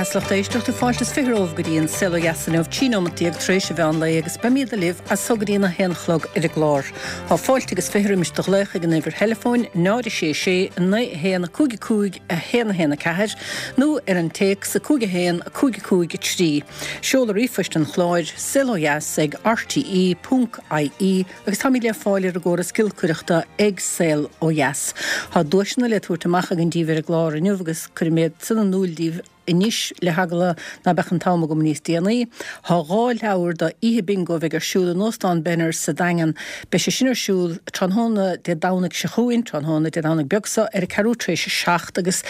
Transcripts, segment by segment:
bheatha is lucht éisteachta, fáilte is 20 romhaibh go dtí an Saol Ó Dheas inniu, 13 nóimeat tar éis an mheán lae agus beimíd libh as so go dtí an 1 a chlog ar an gclár. Tá fáilte agus 20 roimis do ghlaoch ag an uimhir theileafóin 0 6 6 9 1 5 5 1 1 4 nó ar an téacs 5 1 5 5 3. Seoladh ríomhphoist an chláir, saolodheas ag rte ponc ie agus táimid le fáil ar an gcóras giolcaireachta ag Saol Ó Dheas. Tá duaiseanna le tabhairt amach againn díbh ar an gclár inniu agus cuirfidh mé iad san in iúl díbh anois le heagla ná beadh an t-am agam níos déanaí. Tá 2 leabhar do oíche bingo a bheidh ar siúl in Óstán Benners sa Daingean. Beidh sé sin ar siúl tráthnóna Dé Domhnaigh seo chugainn, tráthnóna Dé Domhnaigh beag seo, ar a ceathrú tar éis a 7 agus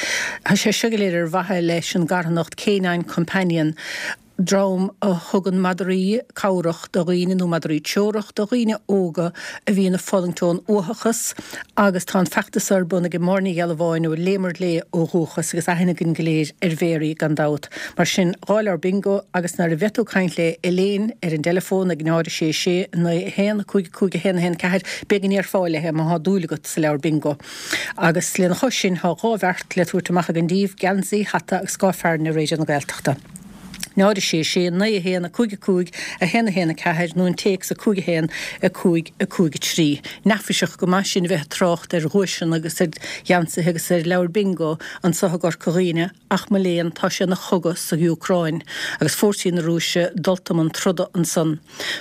tá sé seo go léir ar mhaithe leis an gcarthanacht K9 Companion. dream a thugann madraí cabhrach do dhaoine nó madraí treorach do dhaoine óga a bhíonn ag fulaingt ón uathachas agus tá an feachtas ar bun ag Máire Ní Ghealbháin ó Léimear Léith ó dhúchas agus aithne againn go léir ar Mhary gan dabht. Mar sin, 2 leabhar bingo agus nuair a bheidh tú ag caint le Elaine ar an dteileafón ag 0 6 6 9 1 5 5 1 1 4 b'éigean go ndéarfá léi má thá dúil agat sa leabhar bingo. Agus lena chois sin thá 2 bheart le tabhairt amach againn díbh, geansaí, hata agus scáth fearthainne Raidió na Gaeltachta. 0 6 6 9 1 5 5 1 1 4 nó an téacs 5 1 5 5 3. Neafaiseach go maith sin a bheith ag trácht ar dhuaiseanna agus ar gheansaithe agus ar leabhair bingo anso i gCorca Dhuibhne ach mo léan tá sé ina chogadh sa Úcráin agus fórsaí na Rúise dulta i mbun troda ansan.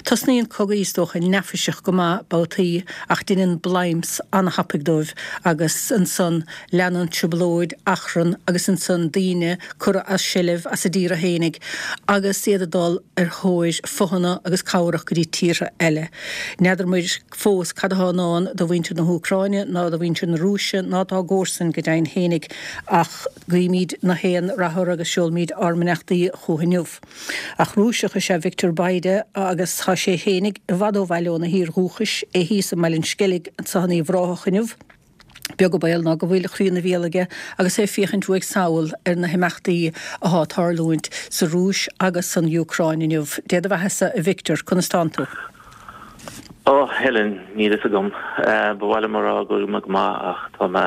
Tosnaíonn cogaí is dócha neafaiseach go maith babhtaí ach deineann bladhm ana-thapaidh dóibh agus ansan leanann trioblóid, achrann agus ansan daoine curtha as seilbh as a dtíortha fhéinig agus iad ag dul ar thóir fothana agus cabhrach go dtí tíortha eile. N'fheadar muid fós cad athá i ndán do mhuintir na hÚcráine ná do mhuintir na Rúise ná dá gcomharsain go deimhin fhéinig ach guímíd na haon rath orthu agus seolmíd ár mbeannachtaí chucu inniu. Ach Rúiseach is ea Victor Bayda agus tá sé fhéinig i bhfad ó bhaile óna thír dhúchais, é thíos i mBaile an Sceilg anso in Uíbh Ráthach inniu. Beag an baol ná go bhfuil a chroí ina bhéal aige agus é ag féachaint uaidh sall ar na himeachtaí athá ag tarlúint sa Rúis agus san Úcráin inniu. Dé do bheathasa, a Victor, conas tánn tú? Ó, Helen, níl fhios agam. Ba mhaith liom a rá go bhfuil mé go maith ach tá mé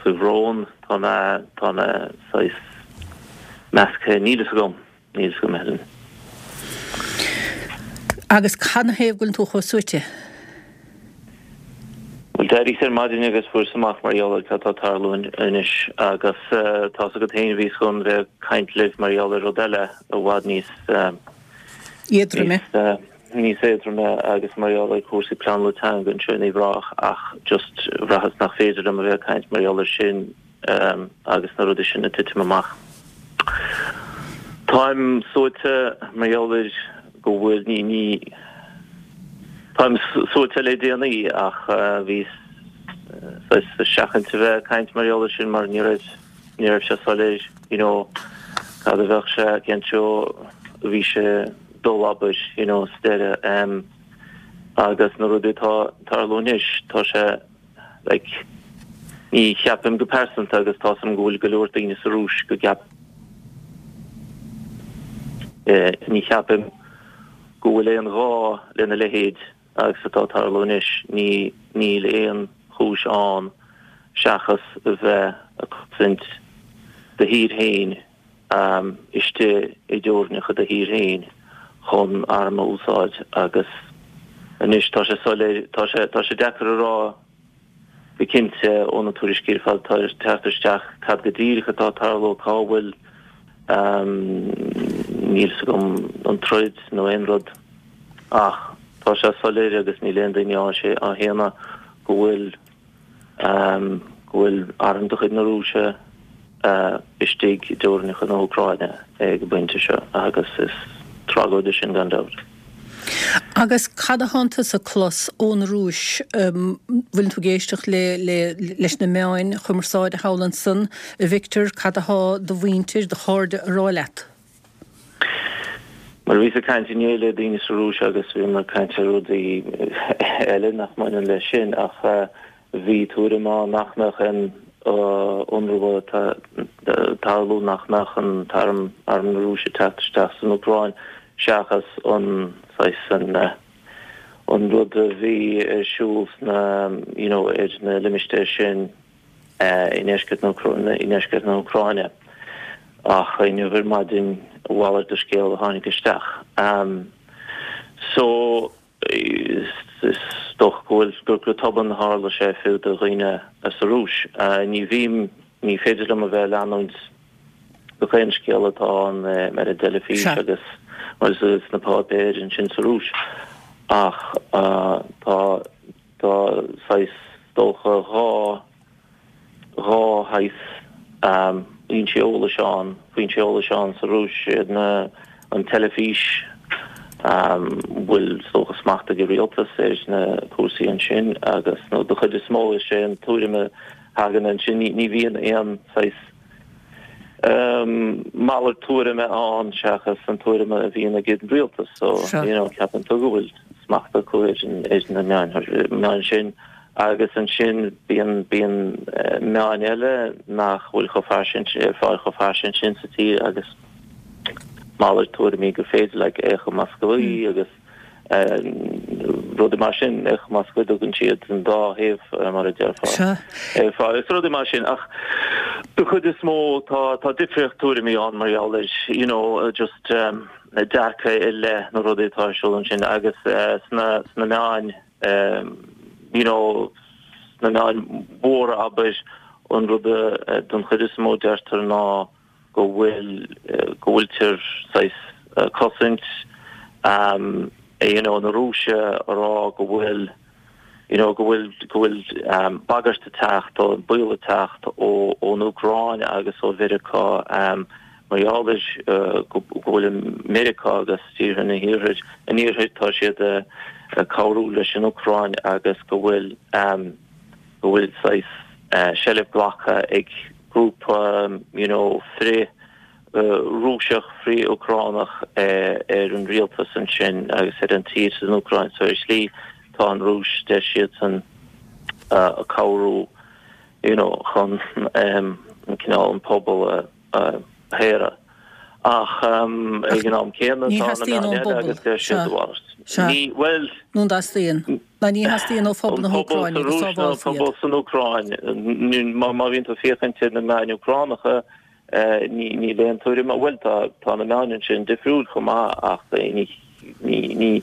faoi bhrón, tá mé, tá mé saghas measctha, níl fhios agam, níl fhios agam, Helen. Agus cad 'na thaobh go bhfuileann tú chomh suaite? Bhuel, d'éiríos ar maidin agus fuaireas amach mar gheall ar cad tá ag tarlú anois agus tá's agat féin bhíos chun bheith ag caint libh mar gheall ar rud eile i bhfad níos, Éadroime. níos éadroime agus mar gheall ar chúrsaí pleanála teanga anseo in Uíbh Ráthach ach just bhraitheas nach féidir liom a bheith ag caint mar gheall ar sin agus na rudaí sin ag titim amach. Táim suaite mar gheall ar go bhfuil, ní, ní, táim suaite le déanaí ach bhíos saghas ag seachaint a bheith ag caint mar gheall ar sin mar ní raibh, ní raibh sé soiléir, you know, cad a bheadh sé, cén treo a bhí sé ag dul, abair, you know, sa deireadh. Agus na rudaí atá ag tarlú anois, tá sé, Like, ní cheapaim go pearsanta, agus tá's agam go bhfuil go leor daoine sa Rúis go gceap, eh, ní cheapaim go bhfuil aon ghá lena leithéid agus atá ag tarlú anois. Ní, níl aon chúis ann seachas a bheith ag cosaint do thír féin. istigh i dteorainneacha do thír féin chun arm a úsáid agus anois tá sé soiléir, tá sé, tá sé deacair a rá go cinnte ó na tuairiscí ar fad atá ag teacht isteach cad go díreach atá ag tarlú, cá bhfuil, níl 'fhios agam an troid nó aon rud ach tá sé soiléir agus níl aon duine á shéanadh go bhfuil go bhfuil arm de chuid na Rúise istigh i dteorainneacha na hÚcráine ag an bpointe seo agus is tragóid é sin gan dabht. Agus cad a thánn tusa ag clos ón Rúis? Bhfuileann tú ag éisteacht le le leis na meáin chumarsáide thall ansan, a Victor, cad athá do mhuintir, do chairde a rá leat? Mar bhíos ag caint inné le daoine sa Rúis agus bhíomar ag caint ar rudaí eile nach mbaineann leis sin ach bhí tuairim ann nach mbeadh aon ionradh ag tarlú, nach mbeadh an t-arm, arm na Rúise ag teacht isteach san Úcráin seachas an saghas an an rud a bhí ar siúl sna you know ar na limistéir sin. i ndeisceart na i ndeisceart na hÚcráine. Ach inniu ar maidin a mhalairt de scéal a tháinig isteach. So, is dócha go bhfuil, gur go tobann a tharla sé fiú do dhaoine sa Rúis. Ní bhím, ní féidir liom a bheith ag leanúint gach aon scéal atá ann ar an dteilifís agus sna páipéir ansin sa Rúis ach tá, tá saghas, dócha, 2 shaghas fhoinsí eolais ann, foinsí eolais ann sa Rúis, iad na, an teilifís, a bhfuil is dócha smacht ag an rialtas ar na cúrsaí ansin agus, nó de chuid is mó, is é an tuairim a thagann ansin, ní bhíonn aon saghas malairt tuairime ann seachas an tuairim a bhíonn ag an rialtas so, you know, ceapann tú go bhfuil smacht acu ar na meáin sin. Agus ansin bíonn, bíonn meáin eile nach bhfuil chomh fairsing, ar fáil chomh fairsing sin sa tír agus malairt tuairimí gur féidir, like Echo Moskvy agus rudaí mar sin, Echo Moskvy tugann siad an dá thaobh mar a déarfá. Sea. Ar fáil agus rudaí mar sin ach de chuid is mó tá, tá difríocht tuairimí ann mar gheall ar, you know, just dearcadh i leith na rudaí atá ar siúl ansin agus sna, sna meáin you know, sna meáin mhóra abair, an rud a don chuid is mó deirtear ná go bhfuil, go bhfuiltear saghas cosaint you know, na Rúise a rá go bhfuil, you know, go bhfuil, go bhfuil bagairt ag teacht, baol ag teacht ó, ón Úcráin agus ó Mheiriceá. Mar gheall ar go bhfuil Meiriceá agus tíortha an iarthair, an iarthair, tá siad ag cabhrú leis an Úcráin agus go bhfuil go bhfuil saghas seilbh glactha ag grúpa you know frith Rúiseach, frith Úcránach ar an rialtas ansin agus ar an tír san Úcráin. So ar shlí tá an Rúis, deir siadsan, ag cabhrú you know chun an cineál an pobal a a shaoradh. Ach ag an am céanna Ní tá na theastaíonn meáin ón eile bpobal. agus deir siad Sea. a mhalairt. Sea. Ní, bhuel, Nó an dteastaíonn? Ná ní theastaíonn ó phobal an na pobal hÚcráine sa go Rúis nó an sábhálfaí pobal iad. san Úcráin, má má bhíonn tú ag féachaint ar na meáin Úcránacha, ní níl aon tuairim, bhuel tá tá na meáin ansin difriúil chomh maith ach ní Ní, ní,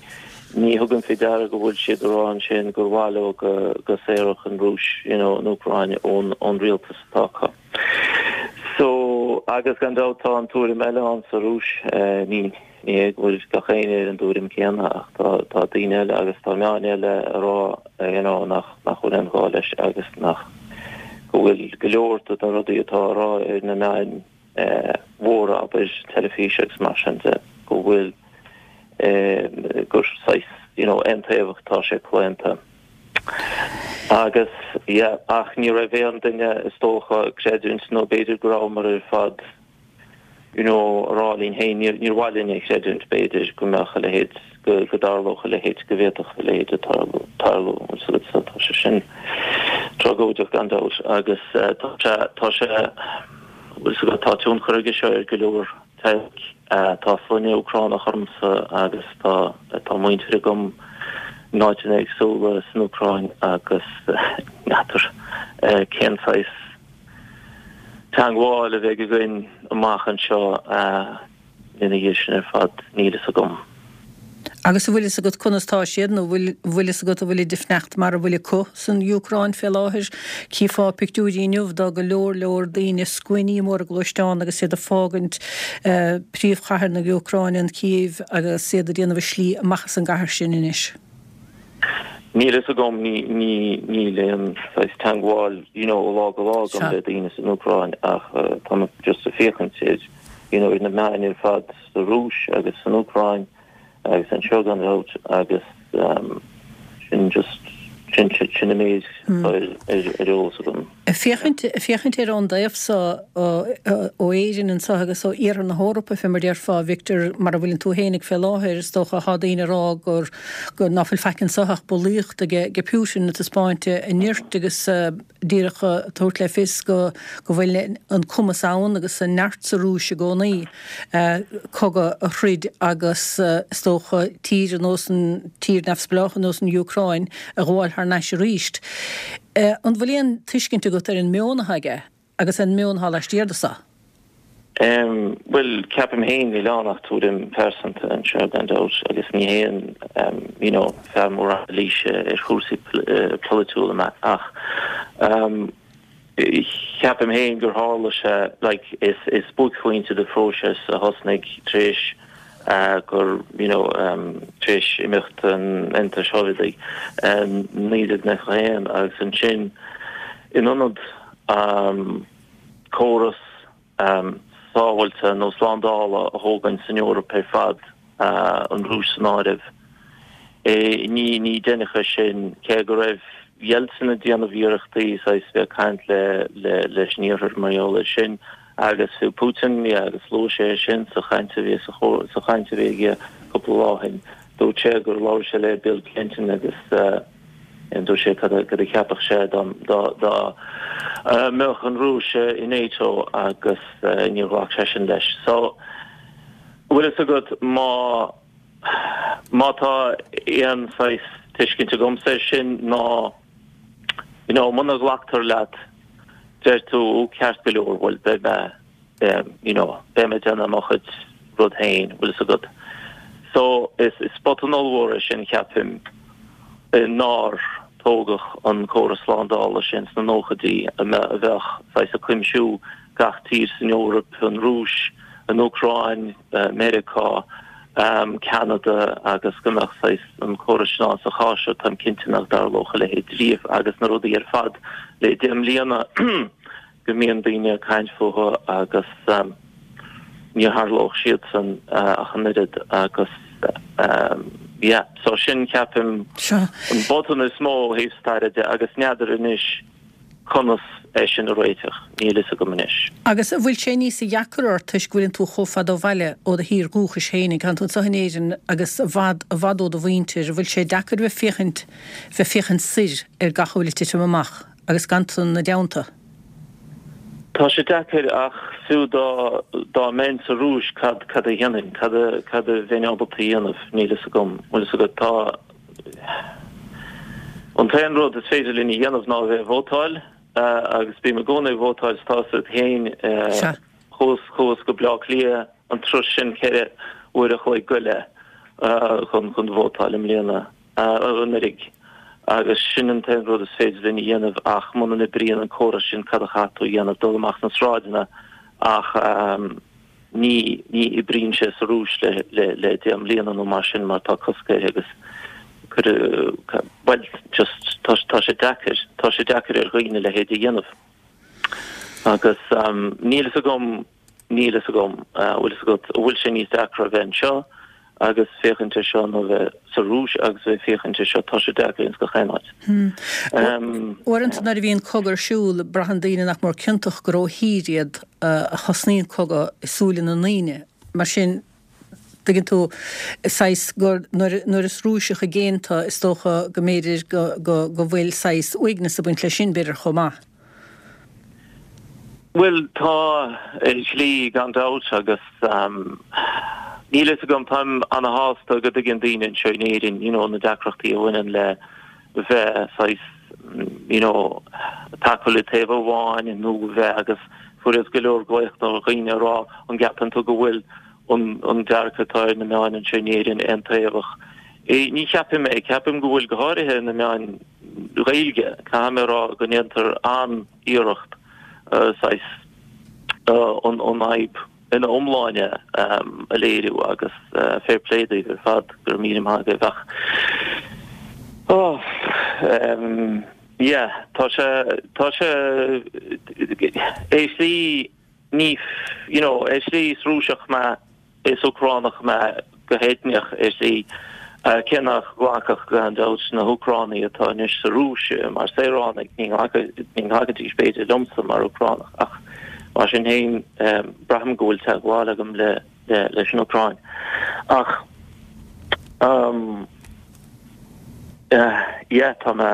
ní thugaim faoi deara go bhfuil siad ag rá ansin gur mhaith leo go, go saorfadh an Rúis, you know, an Úcráin ón, ón rialtas atá acu. So, agus gan dabht tá an tuairim eile ann sa Rúis, eh, ní, ní hé go bhfuil gach éinne ar an dtuairim céanna ach tá, tá daoine eile agus tá meáin eile ag rá, you know, nach, nach bhfuil aon ghá leis agus nach, go bhfuil go leor de na rudaí atá á rá ar na meáin, mhóra, abair, teilifís agus mar sin de, go bhfuil, gur saghas, you know, aontaobhach atá sé claonta. Agus, yeah, ach ní raibh aon duine, is dócha, ag creidiúint, nó b'fhéidir go rabhamar ar fad, you know, a rá linn féin, níor, níor mhaith linn a chreidiúint, b'fhéidir, go mbeadh a leithéid, go, go dtarlódh a leithéid, go bhféadfadh a leithéid a tarlú, tarlú, so, so tá sé sin tragóideach gan dabht agus tá sé, tá sé, Bhfuil fhios agat, tá tionchar aige seo ar go leor teaghlaigh. Tá sloinne Úcránach ormsa agus tá tá muintir agam in áiteanna éagsúla san Úcráin agus n'fheadar cén saghas teangmháil a bheidh againn amach anseo. Ina dhiaidh sin ar fad, níl fhios agam. Agus an bhfuil fhios agat conas tá siad, nó bhfuil bhfuil fhios agat an bhfuilid ag fanacht mar a bhfuil acu san Úcráin fé láthair? Chífeá pictiúirí inniu de go leor leor daoine, scuainí móra gluaisteán agus iad ag fágaint príomhchathair na Úcráine, an Cív, agus iad ag déanamh a slí amach as an gcathair sin anois. Níl fhios agam, ní, ní, níl aon saghas teangmháil, you know, ó lá go lá agam le daoine san Úcráin ach tá mé just ag féachaint ar, you know, ar na meáin ar fad sa Rúis agus san Úcráin agus anseo gan dabht agus sin just, sin, sin an méid atá ar, ar, ar eolas agam. Ag féachaint, ag féachaint air ón dtaobh so, ó Éirinn anso agus ó iarthar na hEorpa, fé mar déarfá, a Victor, mar a bhfuileann tú fhéinig fé láthair, is dócha, thá daoine ag rá gur, gur, ná fuil faic anso ach bulaíocht aige, aige Putin ag taispeáint a nirt agus díreach ag tabhairt le fios go, go bhfuil an cumas ann agus an neart sa Rúis i gcónaí cogadh a throid agus is dócha tír ar nós an, tír neamhspleách ar nós an Úcráin a ghabháil thar n-ais aríst. An bhfuil aon tuiscint agat ar an meon atá aige agus an meon atá laistiar de so? Bhuel, ceapaim féin, níl ann ach tuairim phearsanta anseo gan dabht agus ní haon you know fear mór anailíse ar chúrsaí polaitiúla mé ach ceapaim féin gur tharla sé like is is buaicphointe de phróiseas a thosnaigh tar éis gur you know tar éis imeacht an Aontais Shóivéadaigh 1991 agus ansin in ionad córas sábháilte nó slándála a thógaint san Eoraip ar fad, an Rúis san áireamh. Ní ní deineadh é sin, cé go raibh Yeltsin ag déanamh iarrachtaí saghas bheith ag caint le le leis an Iarthar mar gheall air sin agus fiú Putin, yeah, agus luaigh sé é sin sa chaint a bhí sa sa chaint a bhí aige cúpla lá ó shin. Dúirt sé gur labhair sé le Bill Clinton agus Dúirt sé cad a cheapfadh sé dá mbeadh an Rúis i NATO agus níor ghlac seisean leis. So, bhfuil fhios agat, má má tá aon saghas tuiscint agamsa air sin ná you know muna ghlactar leat deir tú ceart go leor bhuel beidh mé you know, beidh mé ag déanamh mo chuid rud féin, bhfuil fhios agat. So, is is botún ollmhór é sin, ceapaim, nár tógadh an córas slándála sin sna nóchaidí a bheadh saghas ag cuimsiú gach tír san Eoraip, an Rúis, an Úcráin, Meiriceá, Ceanada agus go mbeadh saghas an córas sin ann. Sa chás seo, táim cinnte nach dtarlódh a leithéid riamh agus na rudaí ar fad le 10 mbliana go mbíonn daoine ag caint fúthu agus ní tharlódh siadsan ach an oiread agus yeah so sin ceapaim an botún is mó ó thaobh staire de agus n'fheadar anois conas é sin a réiteach, níl fhios agam anois. Agus an bhfuil sé níos deacra ort toisc go bhfuileann tú chomh fada ó bhaile ó do thír dhúchais féinig, tánn tú anseo in Éirinn agus i bhfad, i bhfad ó do mhuintir, an bhfuil sé deacair bheith féachaint, bheith féachaint soir ar gach a bhfuil ag titim amach agus gan tú ina dteannta? Tá sé deacair ach fiú dá dá mbeinn sa Rúis cad cad a dhéanfainn? Cad a cad a bheinn ábalta a dhéanamh? Níl fhios agam. Bhfuil fhios agat tá an t-aon rud is féidir linn a dhéanamh ná a bheith ag vótáil agus bím i gcónaí ag vótáil is tá fhios agat féin chuas chuas go Bleá Cliath an turas sin 4 uair a chloig go leith chun chun vótáil i mbliana. anuraidh agus sin an t-aon rud is féidir linn a dhéanamh ach muna n-oibríonn an córas sin cad a chaithfidh tú a dhéanamh? Dul amach sna sráideanna ach ní ní oibríonn sé sa Rúis le le le 10 mbliana nó mar sin mar tá cosc air agus cuireadh bhuel just tá tá sé deacair tá sé deacair ar dhaoine a leithéid a dhéanamh agus níl fhios agam Níl fhios agam, bhfuil fhios agat, an bhfuil sé níos deacra a bheith anseo agus féachaint ar seo nó a bheith sa Rúis agus a bheith féachaint ar seo, tá sé deacair ins gach aon áit. Uaireanta nuair a bhíonn cogadh ar siúl, braitheann daoine nach mór ciontach gur ó thír iad a thosnaíonn cogadh i súile na ndaoine. Mar sin, tuigeann tú, saghas gur nuair nuair is Rúiseach i gcéin tú, is dócha go mb'fhéidir go go go bhfuil saghas uaigneas ag baint leis sin, b'fhéidir, chomh maith. Bhuel, tá, ar shlí, gan dabht, agus níl a fhios agam, táim ana-shásta go dtuigeann daoine anseo in Éirinn, you know, na deacrachtaí a bhaineann le bheith saghas, you know, tacúil le taobh amháin nó bheith agus fuaireas go leor glaoch ó dhaoine ag rá an gceapann tú go bhfuil an dearcadh atá ar na meáin anseo in Éirinn aontaobhach. Ní cheapaim é, ceapaim go bhfuil go háirithe na meáin Ghaeilge, caithfidh mé a rá go ndéantar an-iarracht saghas an fhadhb ina iomláine a léiriú agus fair play daoibh ar fad, go raibh míle maith agaibh ach oh yeah tá sé tá sé ar shlí ní you know ar shlí is Rúiseach mé Is Úcránach mé go heitneach, ar shlí, cé nach nglacfadh, gan dabht, na hÚcránaigh atá anois sa Rúis mar saoránaigh, ní nglacfaidís, b'fhéidir, liomsa mar Úcránach, ach mar sin féin, braithim go bhfuil teagmháil agam leis an Úcráin. Ach, yeah, tá mé,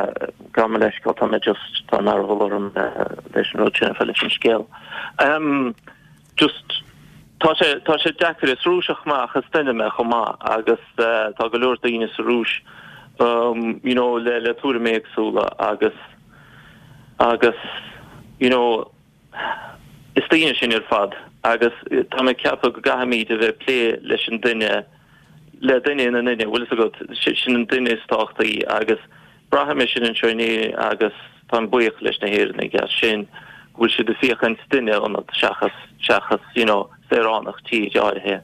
gabh mo leithscéal, tá mé just, tá mearbhall orm leis an rud sin, leis an scéal. Just, tá sé, tá sé deacair, is Rúiseach mé ach is duine mé chomh maith agus tá go leor daoine sa Rúis you know le, le tuairimí éagsúla agus, agus you know is daoine sinn ar fad. Agus tá mé ag ceapadh go gcaithfimid a bheith ag plé leis an duine, le duine ina nduine, bhfuil fhios agat, sin an duine is tábhachtaí agus braithim é sin anseo in Éirinn agus táim buíoch leis na hÉireannaigh as sin, go bhfuil siad ag féachaint duine ionat seachas, seachas you know saoránach tír áirithe.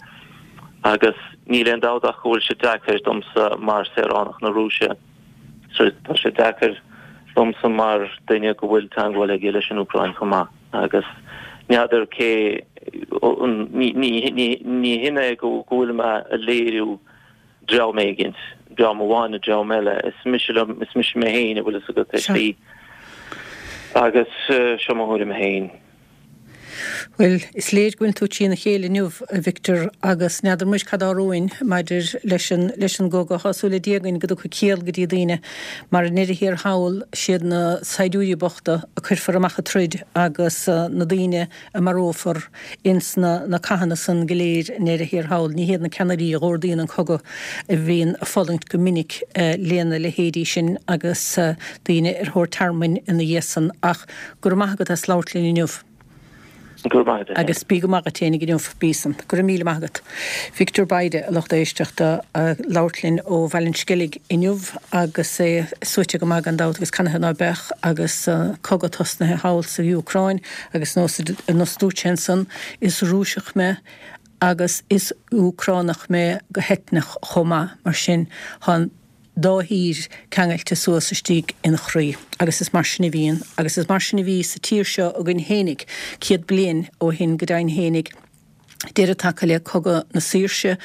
Agus níl aon dabht ach go bhfuil sé deacair domsa mar saoránach na Rúise. So tá sé deacair domsa mar duine go bhfuil teangmháil aige leis an Úcráin chomh maith agus n'fheadar cé ní hin é go bhfuil mé a léiriú dream éigint, dream amháin nó dream eile, is mise liom, is mise mé féin a bhfuil fhios agat ar shlí agus seo mo thuairim féin. Bhuel, is léir go bhfuil tú trína chéile inniu, a Victor, agus n'fheadar muis cad tá romhainn maidir leis an, leis an gcogadh. Tá súil le Dia againn go dtiocfaidh ciall go dtí daoine, mar i ndeireadh thiar thall, siad na saighdiúirí bochta a cuirfear amach ag troid agus na daoine a marófar ins na, na cathanna san go léir i ndeireadh thiar thall. Ní hiad na ceannairí a dh'órdaíonn an cogadh a bhíonn ag fulaingt go minic lena leithéidí sin agus daoine ar thóir tearmainn ina dhiaidh san. Ach Go raibh maith agat as labhairt linn inniu. Go raibh maith agat. Agus bí go maith duit fhéinig inniu. Bí san. Go raibh míle maith agat. Victor Bayda, a lucht éisteachta, ag labhairt linn ó Bhaile an Sceilg inniu agus é suaite go maith gan dabht agus canathaobh ná beadh agus cogadh tosnaithe thall sa Úcráin agus nós a dúirt sé ansan, is Rúiseach mé agus is Úcránach mé go heitneach chomh maith, mar sin tá an. dá thír ceangailte suas istigh ina chroí. Agus is mar sin a bhíonn, agus is mar sin a bhí sa tír seo againn fhéinig, 100 bliain ó shin go deimhin fhéinig, deireadh tagtha le Cogadh na Saoirse,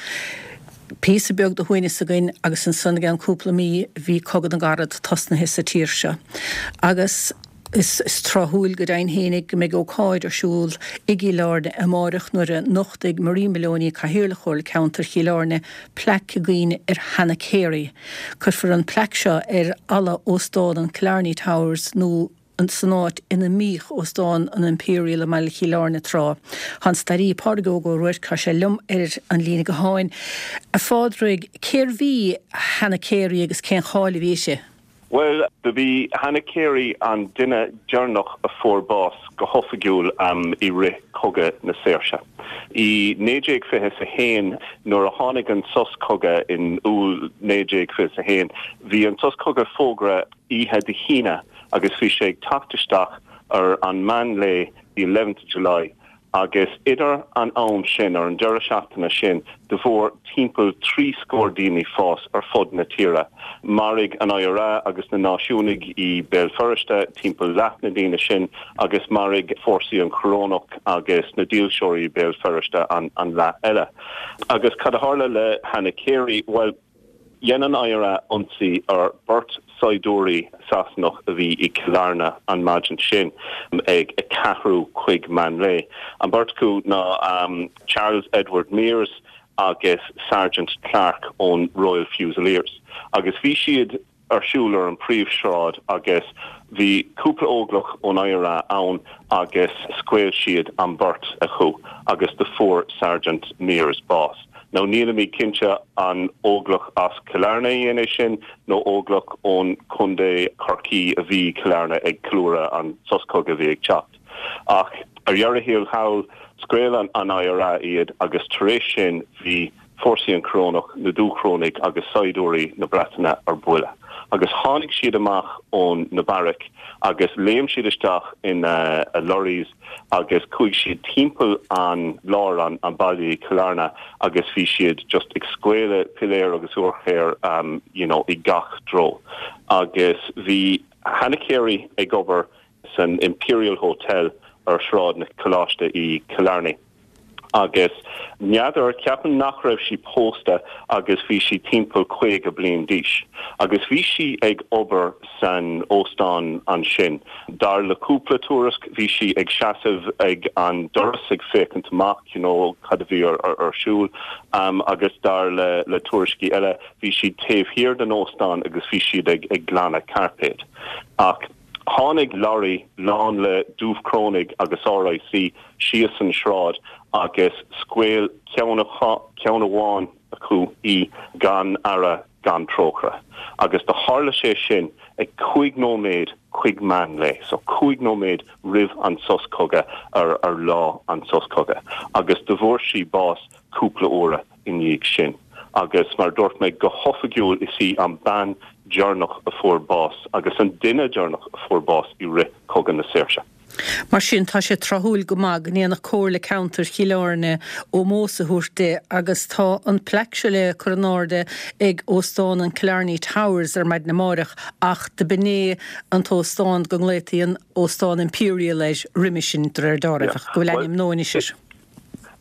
píosa beag de shuaimhneas againn agus ansan i gceann cúpla mí bhí Cogadh na gCarad tosnaithe sa tír seo. Agus. Is tráthúil go deimhin fhéinig go mbeidh ócáid ar siúl i gCill Airne amáireach nuair a nochtfaidh Marie Moloney, Cathaoirleach Chomhairle Ceantair Chill Airne, plaic i gcuimhne ar Hannah Carey. Cuirfear an plaic seo ar fhalla Óstán an Killarney Towers nó san áit ina mbíodh Óstán an Imperial i mbaile Chill Airne tráth. Tá an staraí Pádraig Óg Ó Ruairc, tá sé liom ar an líne gutháin. A Phádraig, cérbh í Hannah Carey agus cén cháil a bhí uirthi? Bhuel, do bhí Hannah Carey an duine deireanach a fuair bás go hoifigiúil i rith Cogadh na Saoirse. I 1921, nuair a tháinig an sos cogaidh in Iúil 1921, bhí an sos cogaidh fógartha oíche Dé hAoine agus bhí sé ag teacht isteach ar an meán lae, the eleventh of July, Agus idir an am sin, ar an deireadh seachtaine sin, do fuair timpeall 30 scór daoine bás ar fud na tíre. Mharaigh an IRA agus na Náisiúnaigh i Béal Feirste timpeall leath na ndaoine sin agus mharaigh fórsaí an Chorónach agus na Dílseoirí i Béal Feirste an leath eile. Agus cad a tharla le Hannah Carey? Bhuel, Dhein an IRA ionsaí ar beirt saighdiúirí Sasanach a bhí i Cill Airne an maidin sin ag a ceathrú chuig meán lae. An beirt acu ná Charles Edward Mears agus Sergeant Clarke ón Royal Fusiliers agus bhí siad ar siúl ar an príomhshráid agus bhí cúpla óglach ón IRA ann agus scaoil siad an beirt acu agus do fuair Sergeant Mears bás. Now nílimid cinnte an óglach as Cill Airne a dhein é sin nó óglach ón Contae Chorcaí a bhí i Cill Airne ag ceiliúradh an sos cogaidh a bhí ag teacht. Ach ar dheireadh thiar thall scaoil an IRA iad agus tar éis sin bhí fórsaí an Chorónach, na Dúchrónaigh agus saighdiúirí na Breataine ar buile. Agus tháinig siad amach ón na beairic agus léim siad isteach ina lorries agus chuaigh siad timpeall an lár an an baile i Cill Airne agus bhí siad just ag scaoileadh piléar agus urchair you know i gach treo. Agus bhí Hannah Carey ag obair san Imperial Hotel ar Shráid na Coláiste i Cill Airne. Agus n'fheadar, ceapaim nach raibh sí pósta agus bhí sí timpeall 50 bliain d'aois. Agus bhí sí ag obair san óstán ansin. Dar le cúpla tuairisc bhí sí ag seasamh ag an doras ag féachaint amach, you know, cad a bhí ar siúl. Agus dar le le tuairiscí eile bhí sí taobh thiar den óstán agus bhí siad ag ag glanadh cairpéad. Ach. Tháinig lorry lán le Dúchrónaigh agus RIC síos an sráid agus scaoil ceann ceann amháin acu í gan aire gan trócaire. Agus do tharla sé sin ag 5 nóiméad. chuig meán lae, so 5 nóiméad roimh an sos cogaidh ar ar lá an sos cogaidh, agus do bhfuair sí bás cúpla uaire i ndiaidh sin. Agus mar a dúirt mé, go hoifigiúil is í an bean deireanach a fuair bás agus an duine deireanach a fuair bás i rith Cogadh na Saoirse. Mar sin, tá sé tráthúil go maith go ndéanfadh Comhairle Ceantair Chill Airne ómós a thabhairt di agus tá an plaic seo le cur in airde ag Óstán an Killarney Towers ar maidin amáireach ach do b'in é an t-óstán go nglaotaí an Óstán Imperial air roimhe sin, de réir dealraimh, ach go bhfuil ainm nua anois air.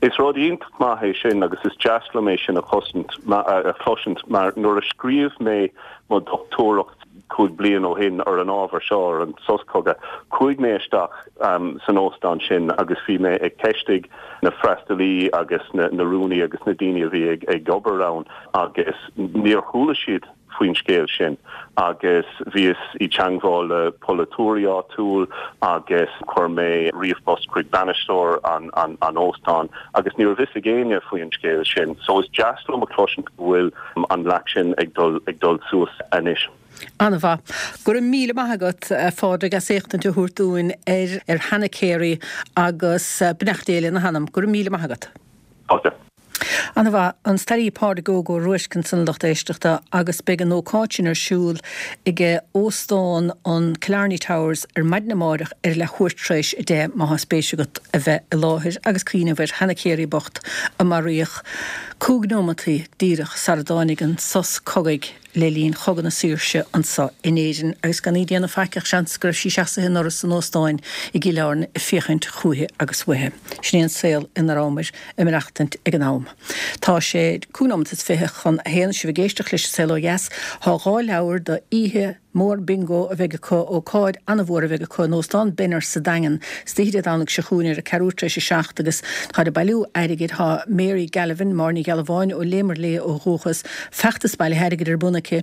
Is rud iontach maith é sin agus is deas liom é sin a chloisint mar nuair a scríobh mé mo dhochtúireacht 5 bliain ó shin ar an ábhar seo, ar an sos cogaidh, chuaigh mé isteach san óstán sin agus bhí mé ag ceistigh na freastalaí agus na rúnaí agus na daoine a bhí ag obair ann agus níor chuala siad faoin scéal sin agus bhíos i dteangmháil le polaiteoirí áitiúil agus chuir mé ríomhphost chuig bainisteoir an an óstáin agus ní raibh fhios ag éinne faoin scéal sin. So is deas liom a chloisint go bhfuil an leac sin ag dul ag dul suas anois. An-mhaith. Go raibh míle maith agat, a Phádraig, as éachtaint a thabhairt dúinn ar ar Hannah Carey agus beannacht Dé lena hanam. Go raibh míle maith agat. Fáilte. An-mhaith. An staraí Pádraig Óg Ó Ruairc ansan a lucht éisteachta agus beidh an ócáid sin ar siúl ag Óstán an Killarney Towers ar maidin amáireach ar leathuair tar éis 10 má thá spéis agat a bheith i láthair agus cuimhneamh ar Hannah Carey bocht a maraíodh cúig neomataí díreach sara dtáinig an sos cogaidh le linn Chogadh na Saoirse anso in Éirinn agus gan í ag déanamh faic ach seans go raibh sí seasaithe i ndoras an óstáin i gCill Airne ag féachaint chúithi agus uaithi. Sin é an saol ina rabhamar ag maireachtaint ag an am. Tá sé cúig nóimeat is fiche chun a haon, sibh ag éisteacht leis An Saol Ó Dheas. Thá dhá leabhar do oíche mhór bingo a bheidh acu, ócáid an-mhór a bheidh acu in Óstán Benner sa Daingean istoíche Dé Domhnaigh seo chugainn ar a ceathrú tar éis a seacht agus táid ag bailiú airgid. Thá Mary Galvin, Máire Ní Ghealbháin ó Léimear Léith ó dhúchas, feachtas bailithe airgid ar bun aici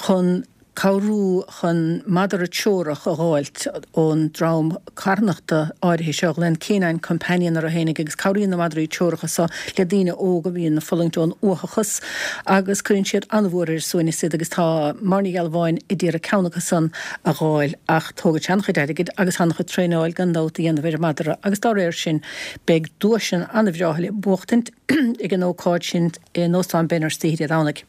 chun cabhrú chun madra treorach a dh'fháilt ón dream carthanachta áirithe seo a ghlaonn Canine Companion orthu fhéinig agus cabhraíonn na madraí treoracha so le daoine óga a bhíonn ag fulaingt ón uathachas agus cuireann siad an-mhór ar a suaimhneas iad agus tá Máire Ní Ghealbháin a d'iarraidh ceann acu san a dh'fháil ach tógann sé an-chuid airgid agus an-chuid traenáil gan dabht a dhéanamh ar an madra agus dá réir sin beidh duaiseanna an-bhreátha le buachtaint ag an ócáid sin in Óstán Benner istoíche Dé Domhnaigh.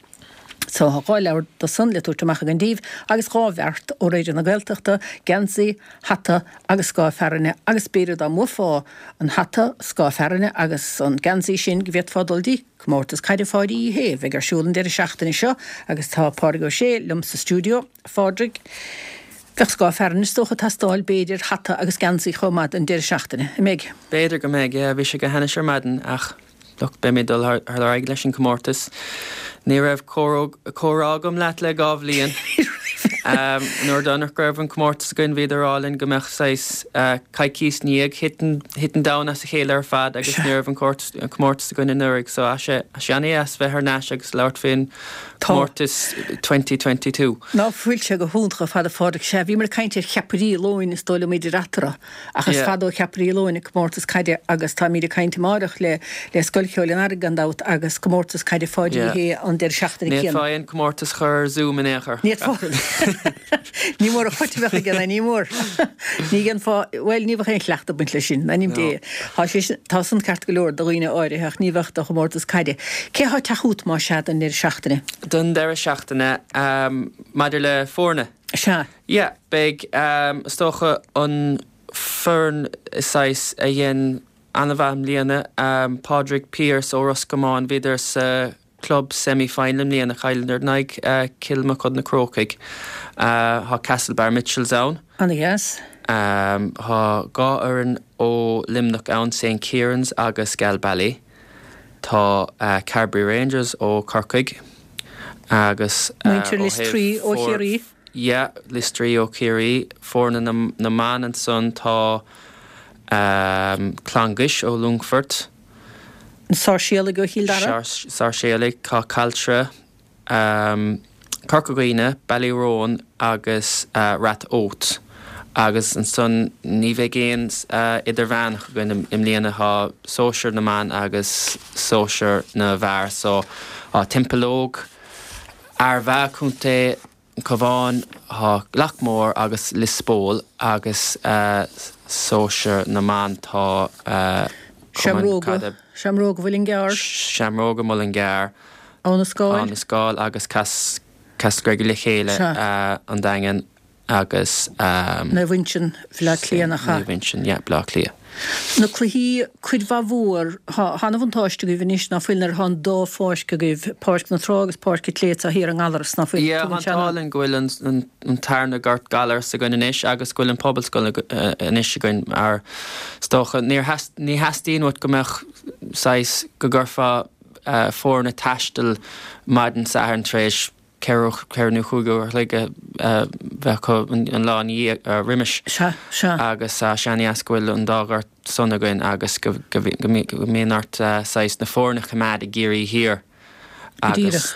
So thá dhá leabhar do san le tabhairt amach againn díbh agus dhá bheart ó Raidió na Gaeltachta, geansaí, hata agus scáth fearthainne agus b'fhéidir dá mbuafá an hata, scáth fearthainne agus an geansaí sin go bhféadfá dul dtí Comórtas Caide Pháidí Uí Shé a bheidh ar siúl an deireadh seachtaine seo agus tá Pádraig Ó Sé liom sa stiúideo. A Phádraig, bheadh scáth fearthainne is dócha ag teastáil, b'fhéidir, hata agus geansaí chomh maith don deireadh seachtaine, an mbeidh? B'fhéidir go mbeidh, yeah. Bhí sé go hainnis ar maidin ach look, beimid ag dul ar aghaidh leis an comórtas. Ní raibh comhrá agam leat le dhá bhliain. Nuair deireanach go raibh an comórtas againn bhíodar ag rá linn go mbeadh saghas coicís i ndiaidh thit an domhan as a chéile ar fad agus ní raibh an comórtas againn anuraidh so tá sé an-dheas bheith thar n-ais agus labhairt faoin Comórtas 2022. Ná fuil sé go hiontach ar fad a Phádraig. Sea, bhíomar ag caint ar cheapairí lóin is dóigh liom idir eatarthu, ach is fada ó cheapairí lóin an comórtas caide agus táimid ag caint amáireach le le Scoil Cheoil an Earraigh gan dabht agus comórtas caide Pháidí Uí Shé an deireadh seachtaine céanna. Ní fhéadfá aon comórtas a chur ar Zoom in aon chor. Ní fhéadfá. Ní mór an chait a bheadh aige, ní mór. Ní dhéanfá, bhuel, ní bheadh aon chleachtadh ag baint leis sin, in ainm Dé. Tá sé sin, tá san ceart go leor do dhaoine áirithe ach ní bheadh do chomórtas caide. Cé thá ag teacht chút más ea don deireadh seachtaine? Don deireadh seachtaine, maidir le foirne? Sea. Yeah, beidh, is dócha, an foireann saghas a dhein an-mhaith i mbliana, Pádraig Pearse ó Ros Comáin, bhíodar sa Club Semi Final i mbliana, chailleadar in aghaidh Cill Mochuda Na Crócaigh. Tá Castlebar Mitchels ann. Ana-dheas. Tá dhá fhoireann ó Luimneach ann, St Kieran's agus Galbally. Tá Carbery Rangers ó Corcaigh agus ó Muintir Liostraí ó Chiarraí. Yeah, Liostraí ó Chiarraí. Foirne na mban ansan tá Clonguish ó Longfort. Na Sáirséalaigh ó Chill Dara. Sáirséalaigh, tá Caltra, Corca Dhuibhne, Ballyroan agus Rath Oth. Agus ansan ní bheidh aon idirmheánach againn i mbliana, tá sóisear na mban agus sóisear na bhfear. So tá Templeogue, Armagh, Contae. Cabhán tá Loughmore agus Lios Póil agus sóisear na mban tá Cumann Caide Seamróga Mhuileann gCearr. Seamróga Mhuileann gCearr. Abha na Scáil. Abha na Scáil agus Castlegregory le chéile, An Daingean agus. Naomh Uinseann, Bhaile Átha Cliath nach ea? Naomh Uinseann, yeah, Bleá Cliath. Na cluichí, cuid mhaith mhór, tá ana-bhuntáiste agaibh anois ná fuil nuair atá an dá pháirc agaibh, Páirc na Trá agus Páirc an tSléibhte thiar i nGallaras, ná fuil? Yeah, tá an t-ádh linn go bhfuil an tarna gort Gallaras againn anois agus go bhfuil an Pobalscoil anois againn mar is dócha níor ní theastaíonn uait go mbeadh saghas go gcuirfeá foirne ag taisteal maidin Sathairn tar éis ceithre nó chúig uair a chloig a bheith acu an lá ina dhiaidh, roimis. Sea, sea. Agus tá sé an-dheas go bhfuil an dá ghort san againn agus go mbíonn ort saghas na foirne a choimeád i gCiarraí Thiar Go díreach.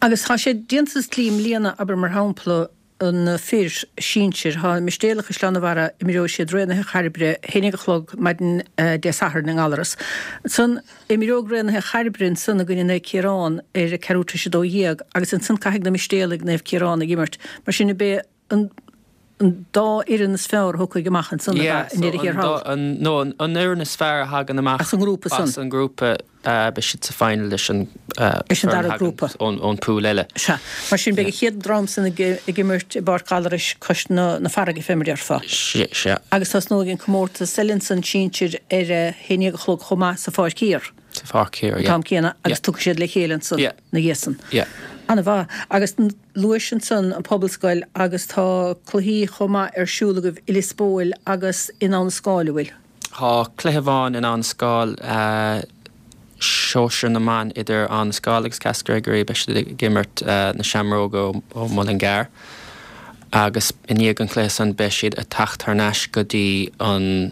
Agus tá sé déanta sa tslí i mbliana, abair mar shampla, na fir sinsir. Tá Mistéala Chaisleán an Bharraigh, imreoidh siad Raonaithe Chairbre, 11 a chlog maidin Dé Sathairn i nGallaras. Ansan imreoidh Raonaithe Chairbre ansan i gcoinne Naomh Ciarán ar a ceathrú tar éis 12 agus ansan caithfidh na Mistéalaigh Naomh Ciarán ag imirt. Mar sin ab é an dá fhoireann is fearr a thiocfaidh amach ansan ab ea i ndeireadh thiar thall. No, an fhoireann is fearr a thagann amach as an ngrúpa san. As an ngrúpa. Beidh siad sa final leis an Leis an dara grúpa. ón pool eile. Sea. Mar sin beidh an chéad dream san ag imirt i bPáirc Ghallarais cois na farraige fé mar a déarfá. Sea. Agus tosnóidh an comórtas eile ansan sinsir ar a haon dhéag a chlog chomh maith sa Pháirc Thiar. Sa Pháirc Thiar, yeah. An t-am céanna agus tiocfaidh siad le chéile ansan ina dhiaidh san. Yeah. Ana-mhaith. Agus luais ansan an Pobalscoil agus tá cluichí chomh maith ar siúl agaibh i Lios Póil agus in Abha na Scáil, an bhfuil? Tá cluiche amháin in Abha na Scáil, sóisear na mban idir Abha na Scáil agus Castlegregory. Beidh siad ag imirt na Seamróga ó Mhuileann gCearr agus i ndiaidh an chluiche san beidh siad ag teacht thar n-ais go dtí an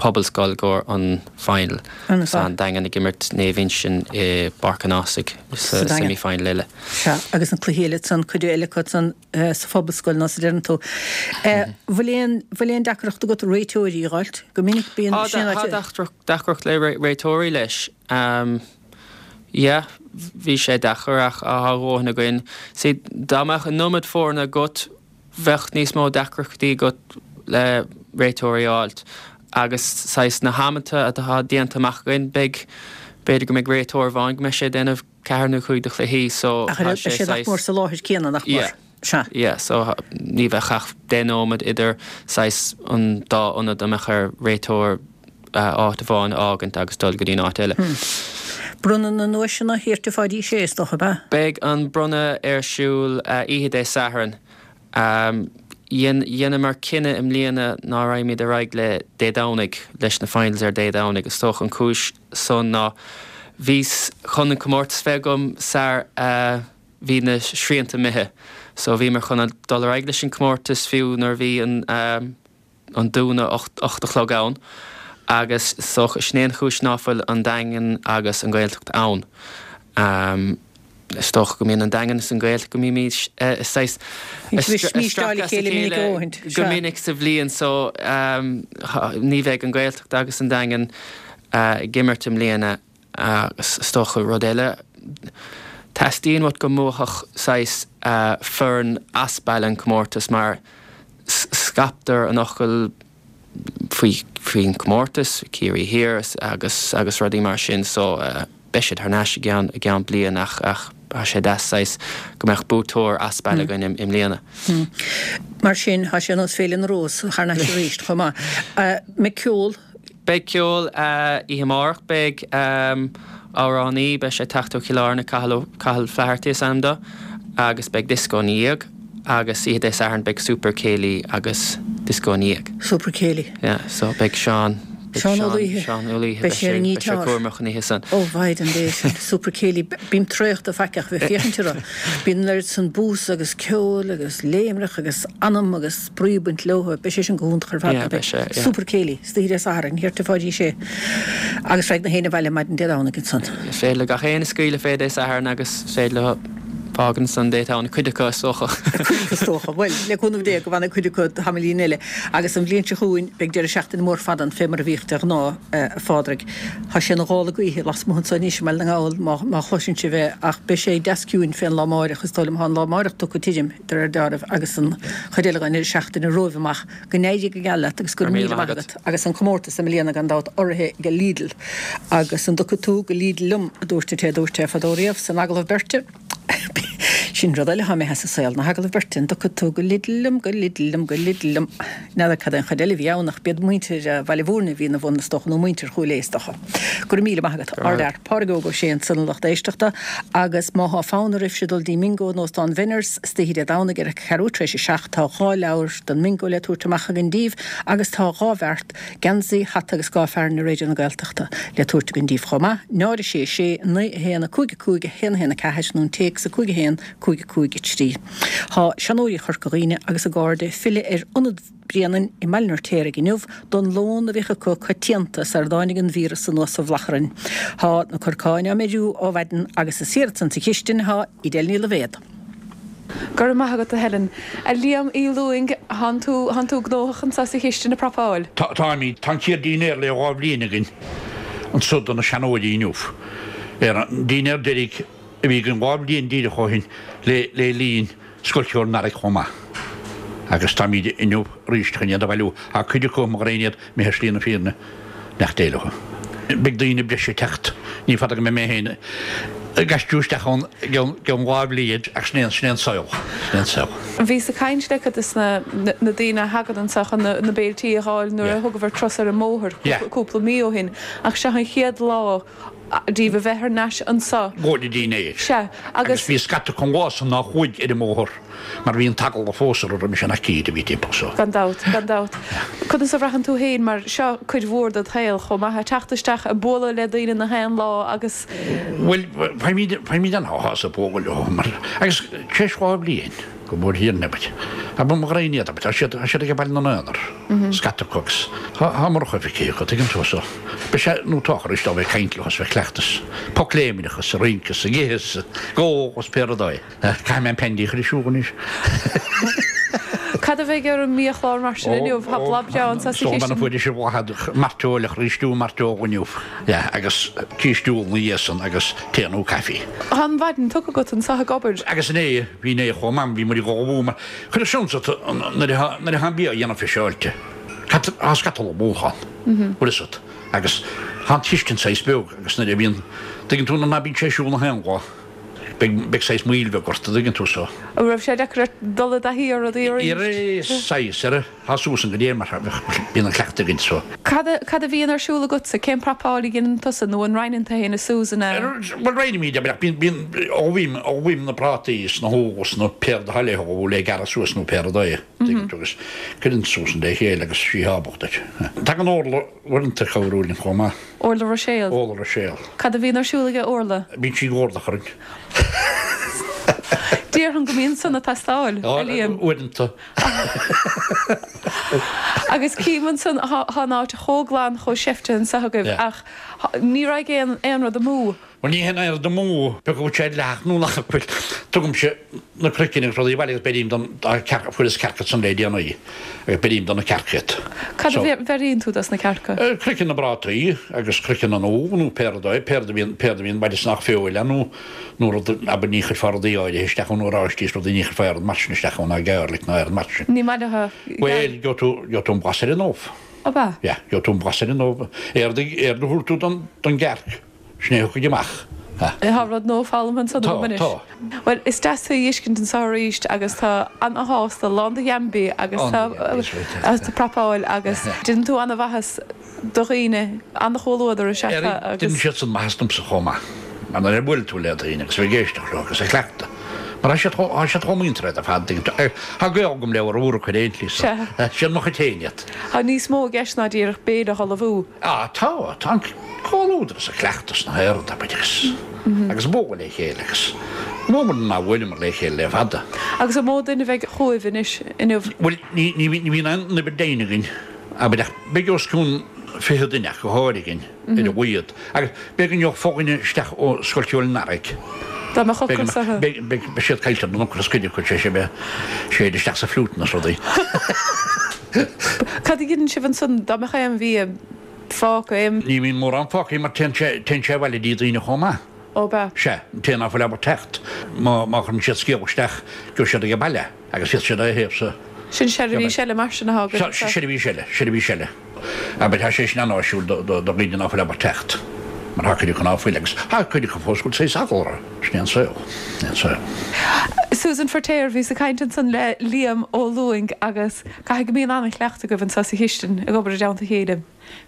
Pobalscoil i gcomhair an final. Agus an Daingean ag imirt Naomh Uinseann i bPáirc an Ághasaigh sa semi final eile. Sea, agus an cluiche eile ansan, cuid eile acu ansan sa Phobalscoil nó sa deireann tú. Bhfuil aon, bhfuil aon deacracht agat réiteoirí a dh'fháilt? Go minic bíonn sin Tá deacracht le réiteoirí leis. Yeah, bhí sé deacair ach tá a dhóthain againn. See, dá mbeadh an iomad foirne agat, bheadh níos mó deacrachtaí agat le réiteoirí a fháilt. Agus saghas na hamanta atá déanta amach againn, beidh, b'fhéidir go mbeidh réiteoir amháin go mbeidh sé ag déanamh ceathair nó chúig de chluichí so Ach tá sé saghas. Nach mór sa láthair céanna, nach mór? Yeah. Sea. Yeah, so ní bheadh ach 10 nóiméad idir saghas an dá ionad a mbeadh ar réiteoir áit amháin a fhágaint agus dul go dtí an áit eile. Bronnadh na nduaiseanna thiar tigh Pháidí Uí Shé, is dócha, ab ea? Beidh an bronnadh ar siúl oíche Dé Sathairn. Dheineamar cinneadh i mbliana ná raghaimid ar aghaidh le Dé Domhnaigh, leis na finals ar Dé Domhnaigh. Is dócha an chúis san ná bhíos chun an comórtas bheith agam sar a bhí na srianta imithe. So bhíomar chun dul ar aghaidh leis an comórtas fiú nuair a bhí an an dúnadh 8 a chlog ann agus is dócha sin é an chúis ná fuil an Daingean agus an Ghaeltacht ann. Is dócha go mbíonn an Daingean is an Ghaeltacht go mbímid saghas ag stracadh as a chéile go minic sa bhliain so ní bheidh an Ghaeltacht agus an Daingean ag imirt i mbliana. Agus is dócha rud eile, teastaíonn uait go mbuafadh saghas foireann as baile an comórtas mar scaiptear an fhocal faoi faoin comórtas, Ciarraí Thiar agus agus rudaí mar sin so beidh siad thar n-ais i gceann i gceann bliain ach ach tá sé deas saghas go mbeadh buaiteoir as baile againn i mbliana. Mar sin tá sé ar nós Féile na Rós thar n-ais arís chomh maith. Mbeidh ceol? Beidh ceol oíche amárach. Beidh amhránaí, beidh sé ag teacht ó Chill Airne, Cathal, Cathal Flaherty is ainm dó, agus beidh dioscó ina dhiaidh agus oíche Dé Sathairn beidh Super Céilí agus dioscó ina dhiaidh. Super Céilí. Yeah, so beidh Seán, beidh Seán Ó Laoithe. Seán Ó Laoithe, beidh sé ar an beidh sé cúramach an oíche san. Ó mhaighdean Dé, sin Super Céilí. Bím traochta faiceach bheith féachaint orthu. Bíonn an oiread san bús agus ceoil agus léimreach agus anam agus spraoi ag baint leo. Beidh sé sin go hiontach ar fad. Yeah, beidh sé, yeah. Super Céilí, istoíche Dé Sathairn, thiar tigh Pháidí Uí Shé. Agus raghaidh na héinne abhaile maidin Dé Domhnaigh ansan. Is féidir le gach éinne scaoileadh fé Dé Sathairn agus is féidir leo. Fágann san d'fhéadfadh cuid acu is dócha. Cuid acu is dócha. Bhuel, le cúnamh Dé go bhfanfaidh cuid acu tamaillín eile. Agus an bhliain seo chugainn beidh deireadh seachtaine mór fada ann fé mar a bhíodh de ghnáth, a Phádraig. Tá sé ina ghála gaoithe lasmuigh anseo anois i mBaile na nGall má má chloiseann sibh é ach beidh sé deas ciúin fén lá amáireach is dóigh liom. Tá an lá amáireach tugtha tirim de réir deáraimh agus an chuid eile den deireadh seachtaine romhaibh amach. Go n-éirí go geal leat agus go raibh míle maith agat. Agus an comórtas i mbliana gan dabht urraithe ag Lidl. Agus an dtiocfaidh tú go Lidl liom, a dúirt an té a dúirt é fadó riamh san agallamh beirte. Sin rud eile atá imithe as an saol, na hagallaimh beirte. An dtiocfaidh tú go Lidl liom, go Lidl liom, go Lidl liom. N'fheadar cad é an chuid eile a bhí ann ach b'iad muintir Bhaile Mhúirne a bhí ina bhun is dócha, nó muintir Chúil Aodha is dócha. Go raibh míle maith agat. Ardfhear. Pádraig Óg Ó Sé ansan a lucht éisteachta agus má thá fonn oraibhse dul dtí mBingo in Óstán Bhenners istoíche Dé Domhnaigh ar a ceathrú tar éis a 7 tá 2 leabhar don mBingo le tabhairt amach againn díbh agus tá 2 bheart, geansaí, hata agus scaif fearainn ar Raidió na Gaeltachta le tabhairt againn díbh chomh maith. 0 6 6 9 1 5 5 1 1 4 nó an téacs 5 1 5 5 3. Thá seanóirí Chorca Dhuibhne agus a gcairde ag filleadh ar Ionad Bhréanainn i mBaile an Fheirtéaraigh inniu don lón a bhíodh acu coitianta sar a dtáinig an víreas anuas sa mhullach orainn. Thá na corcáin á mbeiriú ó mhaidin agus is thiar ansan sa chistin thá Edel Ní Loibhéad. Go raibh maith agat, a Helen. A Liam Uí Lúing, thánn tú, thánn tú gnóthach anso sa chistin ag prapáil. Tá, táimid. Tá an chéad dínnéar le 2 bhliain againn anso do na seanóirí inniu. Ar an dínnéar deiridh a bhí againn 2 bhliain díreach ó shin le le linn Scoil Cheoil an Earraigh chomh maith. Agus táimid inniu arís chun iad a bhailiú. Tá cuid acu, mo ghraidhin iad, imithe ar shlí na fírinne, neacht Dé leo. Beidh daoine breise ag teacht, ní fada go mbeidh mé féin ag aistriú isteach ann i gceann 2 bhliain ach sin é an, sin é an saol, sin é an saol. Bhíos ag caint le cuid de na daoine a thagann anseo chun na béiltí a dh'fháil nuair a thugabhair turas ar an mbóthar cúpla mí ó shin ach seo an chéad lá díobh a bheith thar n-ais anso. Go dtí dinnéar. Sea, agus. Agus bhí scata acu an lá san nár chuaigh ar an mbóthar mar bhí an t-eagla fós orthu roimis an aicíd a bhí timpeall so. Gan dabht, gan dabht. Conas a bhraitheann tú féin mar seo cuid mhór dod shaol chomh maith, ag teacht isteach, ag bualadh le daoine na haon lá agus. Bhuel, faighimid, faighimid an-shásamh ag bualadh leo mar, agus tar éis 2 bhliain, go mórthír abair, abair mo ghraidhin iad, abair, tá siad, tá siad ag baile na n-aonar, scata acu agus tá, tá murach feicthe acu, tuigeann tú, so, beidh sé, nó tá arís dá bheith ag caint leo is bheith ag cleachtadh, pocléimneach is ag rince is ag ithe is ag ól is pé rud é. Caithfidh mé an peindí a chur ar siúl anois. Cad a bheidh ar an mbiachlár mar sin inniu? Tá boladh breá anso sa chistin. Bean fuair ise bhladhad mairteoil a chur stew mairteoil inniu. Yeah, agus stew ina dhiaidh san agus tae nó caife. Tá an mhaidin tugtha agat anso ag obair. Agus inné, bhí inné chomh maith, bhí muid ag ullmhú mar, cuir seans ort nuair atá, nuair atá an bia á dhéanamh fiseáilte, cad, tá scata ullmhúchán, bhfuil fhios agat, agus tá an chistin saghas beag agus nuair a bhíonn, tuigeann tú, nuair ná bíonn sé ar siúl na haon lá, beidh, beidh saghas moill bheag ort, an dtuigeann tú, so. An raibh sé deacair ort dul i dtaithí ar rudaí arís? Ar saghas, ar. Tá Susan go léir mar bíonn an cleachtadh againn so. Cad a bhíonn ar siúl agatsa? Cén prapáil a dhéanann tusa nó an roinneann tú féin is Susan é? Bhuel roinnimid é, bíonn, bíonn, ullmhaím, ullmhaím na prátaí is na húlla is na pé rud atá le hullmhú le gearradh suas nó pé rud é, tuigeann tú, agus cuireann Susan le chéile agus sí ábalta. Tagann Orla uaireanta ag cabhrú linn chomh maith. Orla Ruiséal? Orla Ruiséal. Cad a bhíonn ar siúl aige Orla? Bíonn sí ag ardach orainn. Déarfainn go mbíonn san ag teastáil, a Liam. Uaireanta. Agus cím ansan, thá an áit chomh glan, chomh seifte anso agaibh ach ní raghaidh aon, aon rud amú. Bhuel ní théann aon rud amú, pé acu bhfuil sé dleathach nó nach bhfuil. Tugaimse na craicinn agus rudaí abhaile agus beirím don, dá cearca, fuaireas cearca ansan le déanaí agus beirím do na cearca iad. Cad a bheiríonn tú dos na cearca? Craiceann na bprátaí agus craiceann an úll nó pé rud é, pé rud a bhíonn, pé rud a bhíonn baile is nach feoil é nó nó rud, abair, ní chuirfeá rudaí áirithe isteach ann, oráistí is rudaí, ní chuirfeá aon rud mar sin isteach ann, ná garlic ná aon rud mar sin. Ní maith leo. Bhuel, gheobhaidh tú, gheobhaidh tú an blas ar an ubh. Ab ea? Yeah, gheobhaidh tú an blas ar an ubh. Éard a, éard a thabharfaidh tú don, don gcearc, sin é a thiocfaidh amach. Ha. Tá rud nua foghlamtha ansan agam anois. Tá, tá. Bhuel, is deas tú a fheiscint anso arís agus tá ana-shásta, lán de gheanmnaí agus tá, tá prapáil agus déanann tú ana-mhaitheas. do dhaoine, an-chomhluadar is ea tá agus. Déanann siad san maitheas domsa chomh maith, mar nuair a bhuaileann tú le daoine agus a bheith ag éisteacht leo agus ag cleachtadh, mar tá siad chomh, tá siad chomh muinteartha ar fad, tuigeann tú. Tá gaol agam leo ar uair acu ar aon tslí so, siad mo chuid féin iad. Tá níos mó i gceist ná díreach béile a ullmhú. Á, tá, tá an comhluadar is an cleachtas na haon rud, abair, agus, agus bualadh le chéile agus mó muid ná bhuaileamar le chéile le fada. Agus an mó duine a bheidh chugaibh anois inniu? Bhuel, ní, ní, ní bhíonn aon uimhir deimhin againn. Abair ach beidh os cionn 20 duine ach go háirithe againn ar a laghad. Agus b'fhéidir go ngeobhaidh fo-dhuine isteach ó Scoil Cheoil an Earraigh. Dá mbeadh ocras orthu. Beidh siad caillte don ocras cuid acu, sé sin bheith séid isteach sa phlutanna is rudaí. Cad a dheineann sibh ansan dá mbeadh aon bhia fágtha, aon. Ní bhíonn mórán fágtha mar téann sé, téann sé abhaile dtí daoine chomh maith. Ó bea. Sea, an té ná fuil ábalta teacht, má, má chuireann siad scéal isteach, gheobhaidh siad age baile agus bhíos siad á thaobh sa. Sin seirbhís eile mar sin atá agaibh anseo. Seirbhís eile, seirbhís eile. Abair, tá sé sin an-áisiúil do dhaoine ná fuil ábalta teacht, mar tá cuid acu ná fuil, agus tá cuid acu fós go bhfuil saghas eagla orthu. Sin é an saol. Sin é an saol. Susan Feirtéar, Bhíos ag caint ansan le Liam Ó Lúing agus caithfidh go mbíonn an-chleachtadh agaibh anseo sa chistin ag obair i dteannta a chéile.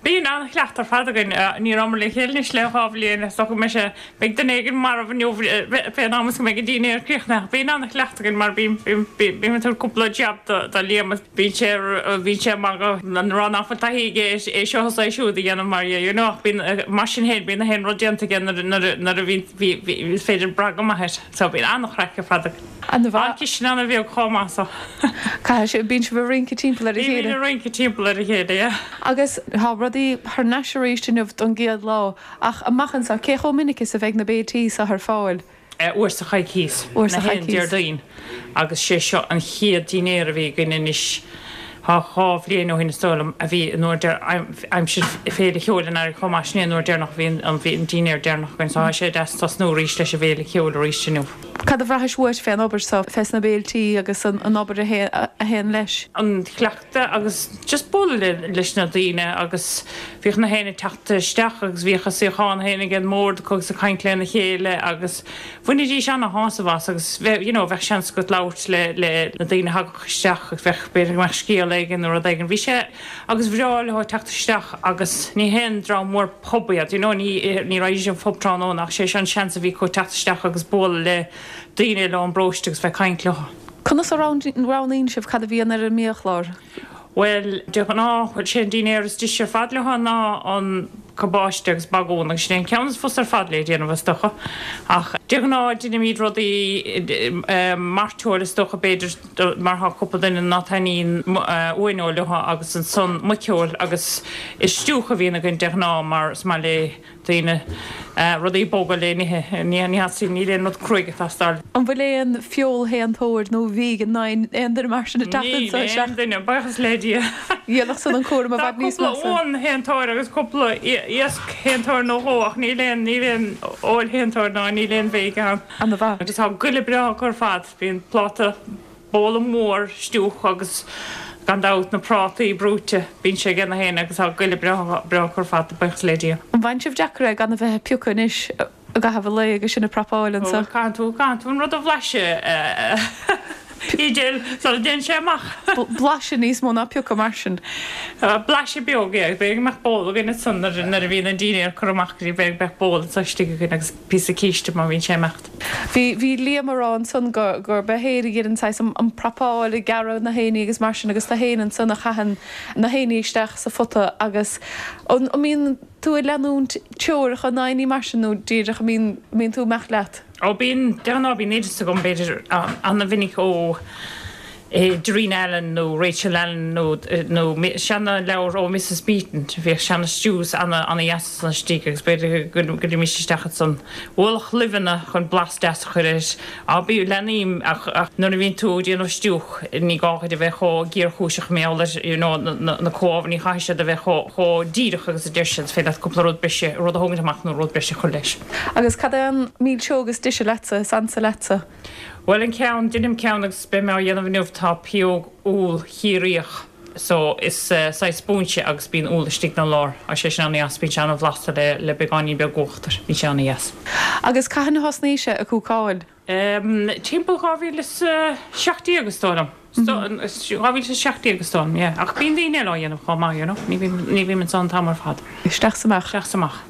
Bíonn an-chleachtadh ar fad againn. Ní rabhamar le chéile anois le 2 bhliain. Is dócha go mbeidh sé, beidh duine éigin marbh inniu fén am is go mbeidh an dinnéar críochnaithe. Ach bíonn an-chleachtadh againn mar bím, bím, bím ag tabhairt cúpla jab do, do Liam agus bíonn sé, bíonn sé ag magadh ag rá nach bhfuil taithí aige é seo is é siúd a dhéanamh mar dhea, you know. Ach bíonn, mar sin féin, bíonn na haon rud déanta aige nuair, nuair, nuair a bhíonn, bhí, bhí, is féidir brath go maith air. So bíonn an-chraic ar fad againn. An-mhaith. An cistin an-bheag chomh maith so. Caithfidh sé, bíonn sibh ag rince timpeall ar a chéile. Bímid ag rince timpeall ar a chéile, yeah. Agus tá rudaí thar n-ais arís inniu don gcéad lá, ach amach anseo, cé chomh minic is a bheidh na béiltí seo ar fáil? Uair sa choicíos. Uair sa Na haon choicíos. Déardaoin. Agus sé seo an chéad dinnéar a bhí againn anois, thá 2 bhliain ó shin is dóigh liom, a bhí an uair deir, aimsir Féile Cheoil an Earraigh chomh maith, sin é an uair deireanach a bhí an, bhí an dinnéar deireanach againn, so tá sé deas tosnú arís leis an bhFéile Cheoil arís inniu. Cad a bhraithis uait fén obair so, fés na béiltí agus an obair a théann leis? An cleachtadh agus just bualadh leis na daoine agus bhíodh na héinne ag teacht isteach agus bhíodh a suíochán féin ag an mbord acu agus ag caint lena chéile agus bhainidís ana-shásamh as agus bheadh, you know, bheadh seans agat labhairt le, le na daoine a thagadh isteach agus bheadh, b'fhéidir go mbeadh scéal éigin nó rud éigin. Bhí sé, agus bhreá leo teacht isteach agus ní haon dream mór pub iad, you know, ní, ní raghaidís an phub tráthnóna ach sé seo an seans a bhí acu teacht isteach agus bualadh le daoine i lár an bparóiste agus bheith ag caint leo. Conas a roghnaíonn sibh cad a bhíonn ar an mbiachlár? Bhuel, de ghnáth, bhuel, sé an dinnéar is deise ar fad leo ná an cabáiste agus bagún agus sin é an ceann is fusa ar fad le déanamh is dócha. Ach de ghnáth deinimíd rudaí, mairteoil is dócha b'fhéidir mar thá cúpla duine ná taitníonn uaineoil leo agus ansan muiceoil agus is stiúch a bhíonn againn de ghnáth mar is maith le daoine rudaí boga le n-ithe. Ní theastaíonn, níl aon rud cruaidh ag teastáil. An bhfuil aon feoilshéantóir nó vegan ná aon duine mar sin ag teacht Níl anseo isteach? aon duine, buíochas le Dia. Dhéanfadh san an cúram i Tá bhfad níos cúpla measa. uanshéantóir agus cúpla iascshéantóir nó dhó ach níl aon, níl aon fheoilshéantóir ná níl aon vegan ann. Ana-mhaith. Agus tá goile breá acu ar fad. Bíonn pláta bowla mór stiúch agus gan dabht na prátaí brúite, bíonn sé ag na héinne agus tá goile breá breá acu ar fad, buíochas le Dia. An bhfaigheann sibh deacair é gan a bheith ag piocadh anois i gcaitheamh an lae agus sinn ag prapáil anseo? Bhuel, caithfidh tú, caithfidh tú an rud a bhlaiseadh Edel, sula dtéann sé amach. Blaiseadh níos mó ná piocadh mar sin. Blaiseadh beag, yeah. B'fhéidir go mbeadh ból againn ansan nuair a bhíonn an dinnéar curtha amach go dtí b'fhéidir go mbeadh ból anso istigh againn agus píosa císte má bhíonn sé ag imeacht. Bhí, bhí Liam a rá ansan go, gurb é féin a dheineann saghas an, an prapáil, ag gearradh na héinní agus mar sin agus tú féin ansan a chaitheann na héinní isteach sa phota agus an, an mbíonn tú ag leanúint teoracha ná aon ní mar sin nó díreach an mbíonn, an mbíonn tú ag imeacht leat? Ó bíonn, de ghnáth bíonn oideas agam b'fhéidir an-mhinic ó Darina Allen nó Rachel Allen nó nó seana leabhar ó Mrs Beeton, bhíodh seana stews ana ana dheas ansan istigh agus b'fhéidir go gcuirimís isteach ansan ualach luibheanna chun blas deas a chur air. Á bí leanaím ach ach nuair a bhíonn tú ag déanamh stiúch ní gá dhuit a bheith chomh géarchúiseach mar gheall ar you know na na comhábhair ní chaithfidh siad a bheith chomh chomh díreach agus a deir siad, is féidir leat cúpla rud breise rud a thógaint amach nó rud breise a chur leis. Agus cad é an mhilseog is deise leatsa, is ansa leatsa? Bhuel an ceann, deinim ceann agus beidh mé á dhéanamh inniu, tá pióg úll Chiarraíoch so is saghas spúinse agus bíonn úll istigh 'na lár. Tá sé sin an-dheas, bíonn sé an-bhlasta le le beagáinín beag uachtair, bíonn sé an-dheas. Agus cathain a thosnaís ag cúcáil? Em, timpeall 2017 is dóigh liom. 2017 is dóigh liom, yeah. Ach bíonn daoine eile á dhéanamh chomh maith, you know. Ní bhím, ní bhím anso an t-am ar fad. Isteach 's amach. Isteach 's amach.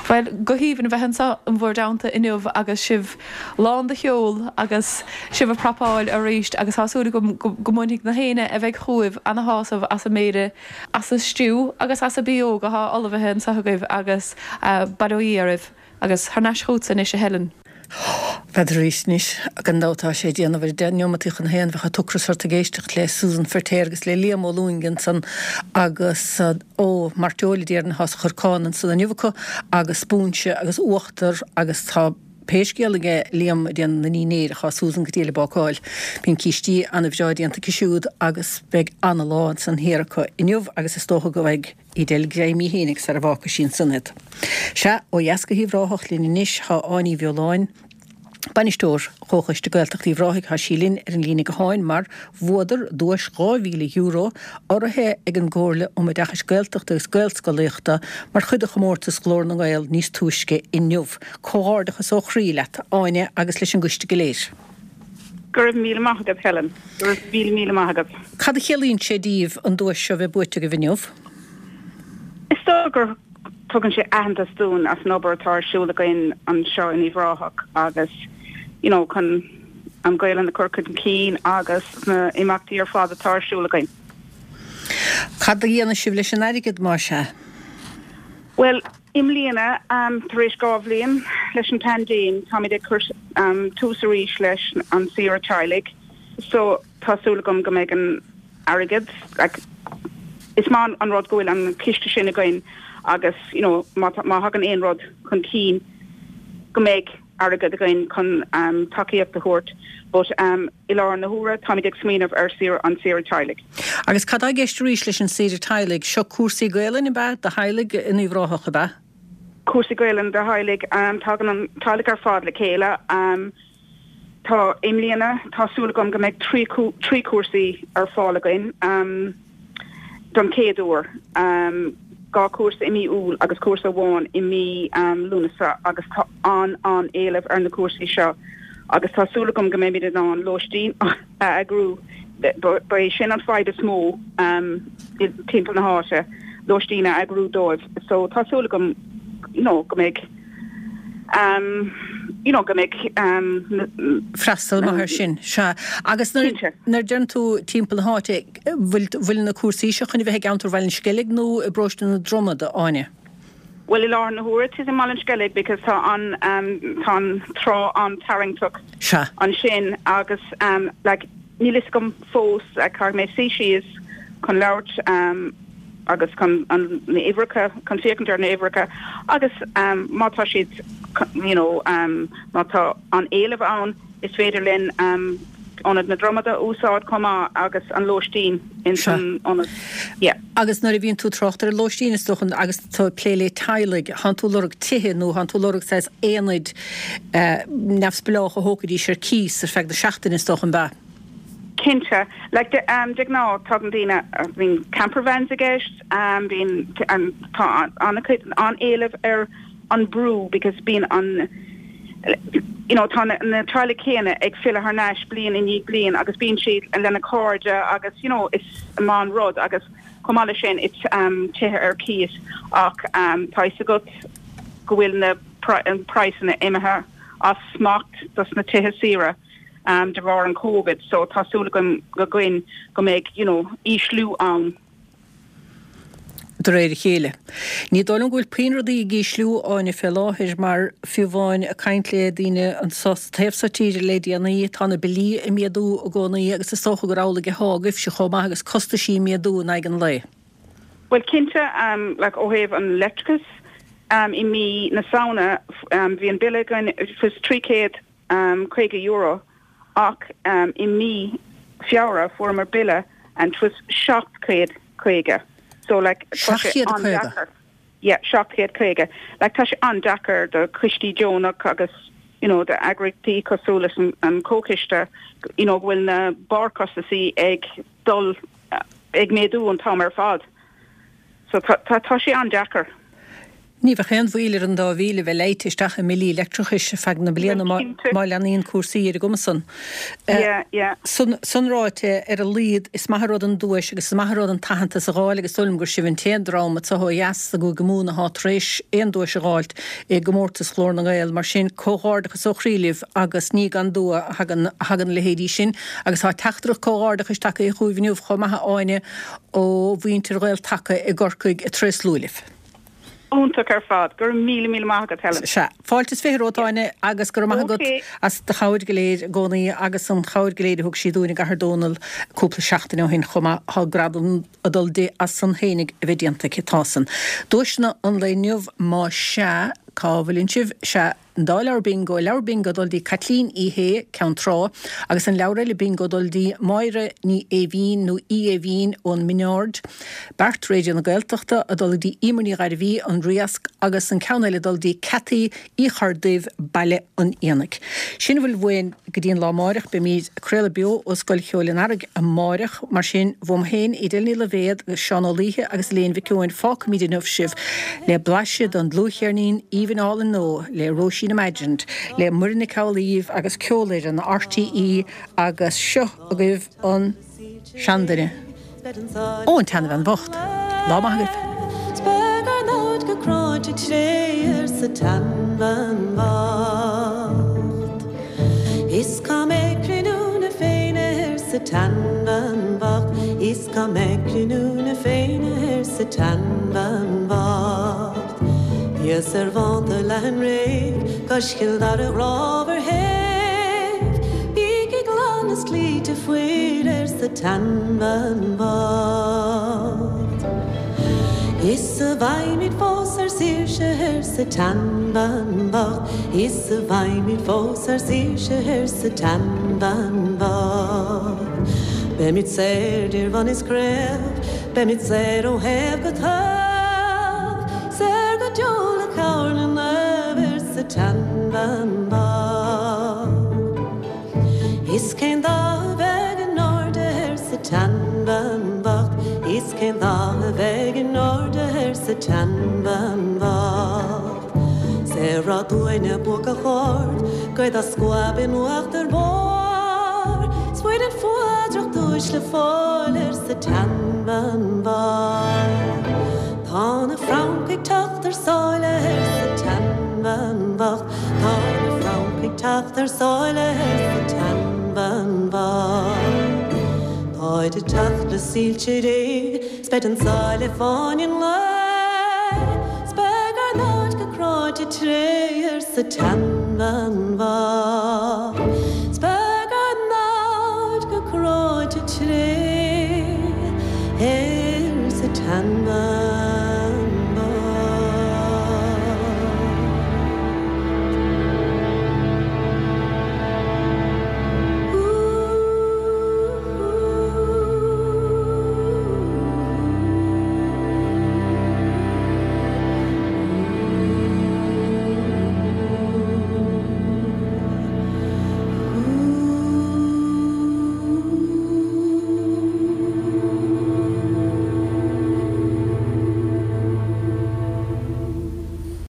Bhuel, go haoibhinn a bheith anso in bhur dteannta inniu agus sibh lán de cheol agus sibh ag prapáil arís agus tá súil agam go mbainfidh na héinne a bheidh chugaibh ana-shásamh as an mbéile, as an stew agus as an bpióg athá ullmhaithe anso agaibh agus bail ó Dhia oraibh. Agus thar n-ais chugatsa anois a Helen. N'fheadar arís anois, gan dabht tá sé ag déanamh ar 10 neomataí chun a haon, bheadh an t-ocras ort ag éisteacht le Susan Feirtéar agus le Liam Ó Lúing ansan agus ó, mairteoil a déarfainn atá sa chorcán ansan inniu acu agus spúinse agus uachtar agus tá. Pé scéal aige Liam ag déanamh na ndinnéar ach tá Susan go diail ag bácáil. Bíonn cístí ana-bhreá déanta aici siúd agus beidh ana-lá ansan thiar acu inniu agus is dócha go bhfaighidh Edel greim í fhéinig sara bhfágfaidh sí ansan iad. Sea, ó dheas go hUíbh Ráthach linn anois tá Áine Uí Bheoláin, Bainisteoir Chomhchoiste Gaeltachta Uíbh Ráthaigh, tá sí linn ar an líne gutháin mar bhuadar duais €2,000 urraithe ag an gComhairle um Oideachais Gaeltachta agus Gaelscolaíochta mar chuid de chomórtas Ghlór na nGael níos túisce inniu. Comhghairdeachas ó chroí leat, Áine, agus leis an gcoiste go léir. Go raibh míle maith agat, Helen. Go raibh míle míle maith agat. Cad a chiallaíonn sé daoibh an duais seo a bheith buaite agaibh inniu? Is dóigh gur tugann sé aitheantas dúinn as an obair atá ar siúl againn anseo in Uíbh Ráthach agus you know chun an Ghaelainn a chur chun cinn agus na imeachtaí ar fad atá ar siúl againn. Cad a dhéanfaidh sibh leis an airgead, más ea? Bhuel, i mbliana, tar éis 2 bhliain leis an paindéim, táimid ag cur tús arís leis an saoire teaghlaigh so tá súil agam go mbeidh an airgead, like, is maith an rud go bhfuil an ciste sin againn agus, you know, má má thagann aon rud chun cinn go mbeidh airgead againn chun tacaíocht a thabhairt but i láthair na huaire táimid ag smaoineamh ar saoire, an saoire teaghlaigh. Agus cad tá i gceist arís leis an saoire teaghlaigh? Seo cúrsaí Gaelainne, ab ea, do theaghlaigh in Uíbh Ráthach, ab ea? Cúrsaí Gaelainne do theaghlaigh, tagann an teaghlach ar fad le chéile. Tá, i mbliana, tá súil agam go mbeidh 3 chúrsaí ar fáil againn don chéad uair, 2 chúrsa i mí Iúil agus cúrsa amháin i mí Lúnasa agus tá an-an-éileamh ar na cúrsaí seo agus tá súil agam go mbeimid in ann lóistín a eagrú. Ba é sin an fadhb is mó timpeall na háite, lóistín a eagrú dóibh. So tá súil agam you know go mbeidh. you know go mbeidh na. freastal maith air sin. Sea. Agus nuair a deireann tú timpeall na háite, bhfuil, bhfuil na cúrsaí seo chun a bheith i gceantar Bhaile an Sceilg nó i bparóiste na Dromad, a Áine? Bhuel, i láthair na huaire, tá i mBaile an Sceilg because tá an, tá an trá an-tarraingteach Sea. ansin agus like níl fhios agam fós, like caithfidh mé suí síos chun labhairt agus chun an na uimhreacha, chun féachaint ar na uimhreacha agus má tá siad you know má tá an éileamh ann is féidir linn Ionad na Dromada a úsáid chomh maith agus an lóistín in san ionad. Yeah. Agus nuair a bhíonn tú ag trácht ar an lóistín is dócha agus tú ag plé le teaghlaigh, thánn tú ag lorg tithe nó thánn tú ag lorg saghas aonaid neamhspleách a thógfaidís ar cíos ar feadh na seachtaine is dócha, an ea? Cinnte. Like, de de ghnáth, tagann daoine, bíonn camper vans i gceist, bíonn, tá an-chuid, an-éileamh ar an brú because bíonn an, you know, tá na na teaghlaigh céanna ag filleadh thar n-ais bliain i ndiaidh bliain agus bíonn siad lena cairde agus, you know, is maith an rud agus chomh maith leis sin it's tithe ar cíos ach tá fhios agat go bhfuil na praghsanna imithe as smacht dos na tithe saoire. de bharr an Covid so tá súil agam againn go mbeidh you know ísliú ann. de réir a chéile. Ní dóigh liom go bhfuil puinn rudaí ag ísliú, Áine, fé láthair mar fiú amháin ag caint le daoine anso sa taobh so tíre le déanaí, tá na billí ag méadú i gcónaí agus is dócha gur amhlaidh athá agaibhse chomh maith agus costaisí ag méadú in aghaidh an lae. Bhuel cinnte, like ó thaobh an leictreachais i mí na Samhna bhí an bille againn 300 €50 ach i mí Feabhra fuaireamar bille and it was 750 so like tá sé an-deacair. Yeah 750. Like tá sé an-deacair do choistí deonach agus you know do eagraíochtaí cosúil leis an Comhchoiste you know go bhfuil na barrchostasaí ag dul ag méadú an t-am ar fad. So tá tá sé an-deacair. Ní bheadh aon mhoill ar an 2,000 a bheith leáite isteach i mbillí leictreachais ar feadh na bliana má leanaíonn cúrsaí ar an gcuma san. San ráite, ar a laghad, is maith an rud an duais agus is maith an rud an t-aitheantas a dh'fháil agus is dóigh liom gur sibh an t-aon dream anso ó dheas i gCúige Mumhan athá tar éis aon duais a dh'fháilt i gcomórtas Ghlór na nGael. Mar sin, comhghairdeachas ó chroí libh agus ní gan dua a thagann a thagann a leithéidí sin agus tá teachtaireacht comhghairdeachais tagtha chugaibh inniu chomh maith a Áine ó mhuintir Ghael-Taca i gCorcaigh ag tréaslú libh. Iontach ar fad. Go raibh míle míle maith agat, Helen. Sea. Fáilte is 20 romhat, Áine, agus go raibh maith agat as do chabhair go léir i gcónaí agus an chabhair go léir a thug sí dúinn i gCathair Dónall cúpla seachtain ó shin chomh maith. Tá gradam ag dul di as san fhéinig a bheith déanta aici. Tá san. Duaiseanna an lae inniu, má sea, cá bhfuileann sibh? Sea. An dá leabhar bingo, leabhar bingo ag dul dtí Caitlín Uí Shé, Ceann Trá, agus an leabhar eile bingo ag dul dtí Máire Ní Éimhín nó Uí Éimhín ón Min Ard. Beart Raidió na Gaeltachta ag dul go dtí Emer Ní Ghairbhí, An Riasc, agus an ceann eile ag dul dtí Cathy Uí Chorrduibh, Baile an Éanaigh. Sin a bhfuil uainn go dtí an lá amáireach. Beimid ag craoladh beo ó Scoil Cheoil an Earraigh amáireach. Mar sin, uaim féin, Edel Ní Loibhéad, agus Seán Ó Laoithe agus Elaine Mhic Eoin, fágfaimid inniu sibh le blaiseadh den dlúthcheirnín aoibhinn álainn nua le Róisín Imagined, le Muireann Nic Amhlaoibh agus Ceolfhoireann RTÉ agus seo agaibh an. seanduine. Ó, an tseanbhean bhocht. Lá maith agaibh. 'S beidh ár namhaid go cráite tréith arsa tseanbhean bhocht. Is cá mbeidh cruinniú na Féinne arsa tseanbhean bhocht, Is cá mbeidh cruinniú na Féinne arsa tseanbhean bhocht. Thíos ar bhánta leathan réidh cois Chill Dara ghrámhar shéimh, Bígí glan is cloíte faoir arsa tseanbhean bhocht. Is a bhfaighimid fós ár saoirse arsa tseanbhean bhocht, Is a bhfaighimid fós ár saoirse arsa tseanbhean bhocht. Beimid saor 'dir bhun is craobh, beimid saor ó thaobh go taobh, Saor go deo le cabhair na naomh arsa tseanbhean bhocht. Is cén dath a bheidh in airde arsa tseanbhean bhocht, Is cén dath a bheidh in airde arsa tseanbhean bhocht. 'S ar rath dúinne buacach ard, gaoth dá scuab in uachtar barr, 's fuair an fuadrach duais le fáil arsa tseanbhean bhocht. Tá na Franncaigh ag teacht thar sáile arsa tseanbhean bhocht, Tá na Franncaigh ag teacht thar sáile arsa tseanbhean bhocht. Táid ag teacht le soilse Dé 's beid an sáile fáinne an lae, 's beidh ár namhaid go cráite tréith arsa tseanbhean bhocht, 's beidh ár namhaid go cráite tréith arsa tseanbhean.